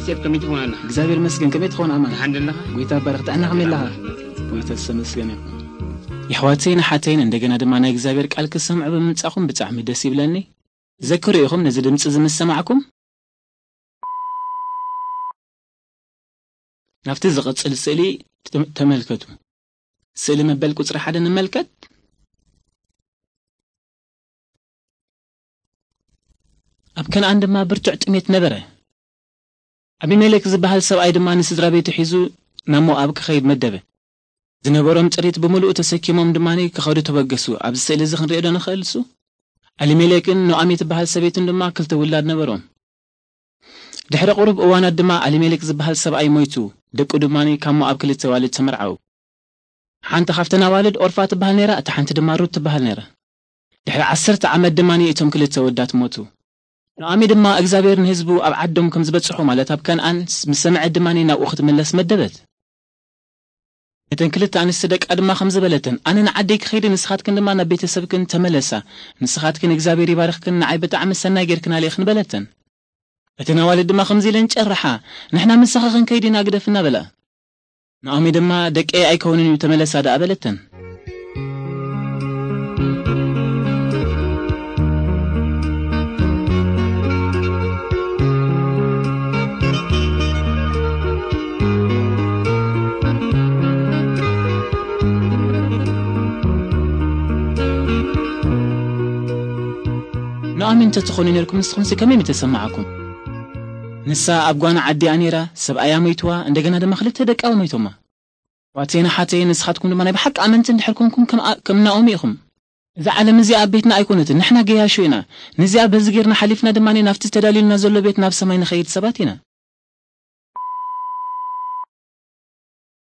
ሴፍ ከመይ ትኸውን ኣለኻ? እግዚኣብሔር ይመስገን። ከመይ ትኸውን ኣማን? ደሓን ደለኻ? ጎይታ ይባረኽ። ጥዕና ከመይ ኣለኻ? ጎይታ ዝተመስገነ ይኹን። የሕዋተይን ኣሓተይን፣ እንደገና ድማ ናይ እግዚኣብሔር ቃል ክሰምዑ ብምምጻኹም ብጣዕሚ ደስ ይብለኒ። ዘክሩ ኢኹም ነዚ ድምጺ እዚ ምስ ሰማዕኩም፣ ናብቲ ዝቕጽል ስእሊ ተመ-፣ ተመልከቱ። ስእሊ መበል ቁጽሪ ሓደ ንመልከት። ኣብ ከነኣን ድማ ብርቱዕ ጥሜት ነበረ። ኣቢሜሌክ ዝበሃል ሰብኣይ ድማ ንስድራ ቤቱ ሒዙ ናብ ሞኣብ ክኸይድ መደበ። ዝነበሮም ጥሪት ብምሉኡ ተሰኪሞም ድማ ክኸዱ ተበገሱ። ኣብዚ ስእሊ እዚ ክንሪኦ ዶ ንኽእል? እሱ ኣሊሜሌክን ኖኣሚ ትበሃል ሰበይቱን ድማ ክልተ ውላድ ነበሮም። ድሕሪ ቁሩብ እዋናት ድማ ኣሊሜሌክ ዝበሃል ሰብኣይ ሞይቱ፣ ደቁ ድማ ካብ ሞኣብ ክልተ ዋልድ ተመርዓው። ሓንቲ ካብተን ኣዋልድ ኦርፋ ትበሃል ነይራ፣ እታ ሓንቲ ድማ ሩት ትበሃል ነይራ። ድሕሪ ዓሰርተ ዓመት ድማ እቶም ክልተ ወዳት ሞቱ። ኖኣሚ ድማ እግዚኣብሔር ንህዝቡ ኣብ ዓዶም ከም ዝበጽሑ፣ ማለት ኣብ ከነኣን ምስ ሰምዐት ድማ ናብኡ ክትምለስ መደበት። ነተን ክልተ ኣንስቲ ደቃ ድማ ከም ዝበለተን፣ ኣነ ንዓደይ ክኸይድ፣ ንስኻትክን ድማ ናብ ቤተሰብክን ተመለሳ። ንስኻትክን እግዚኣብሔር ይባርኽክን፣ ንዓይ ብጣዕሚ ሰናይ ጌርክን ኣልእኽን በለተን። እተን ኣዋልድ ድማ ከምዚ ኢለን ጨርሓ፣ ንሕና ምሳኺ ክንከይድ ኢና፣ ግደፍና በላ። ናኦሚ ድማ ደቀይ ኣይከውንን እዩ፣ ተመለሳ ደኣ በለተን። ናኦሚ እንተትኾኑ ነርኩም ንስኹምሲ ከመይ ምተሰማዓኩም? ንሳ ኣብ ጓና ዓዲኣ ነይራ፣ ሰብኣያ ሞይትዋ፣ እንደገና ድማ ክልተ ደቃ ሞይቶማ። ዋቴና ሓተይ፣ ንስኻትኩም ድማ ናይ ብሓቂ ኣመንቲ እንድሕር ኮንኩም ከም ኣ-፣ ከም ናኦሚ ኢኹም። እዛ ዓለም እዚኣ ኣብ ቤትና ኣይኮነትን፣ ንሕና ገያሾ ኢና። ነዚኣ በዚ ጌርና ሓሊፍና ድማ ናብቲ ተዳልዩልና ዘሎ ቤት ናብ ሰማይ ንኸይድ ሰባት ኢና።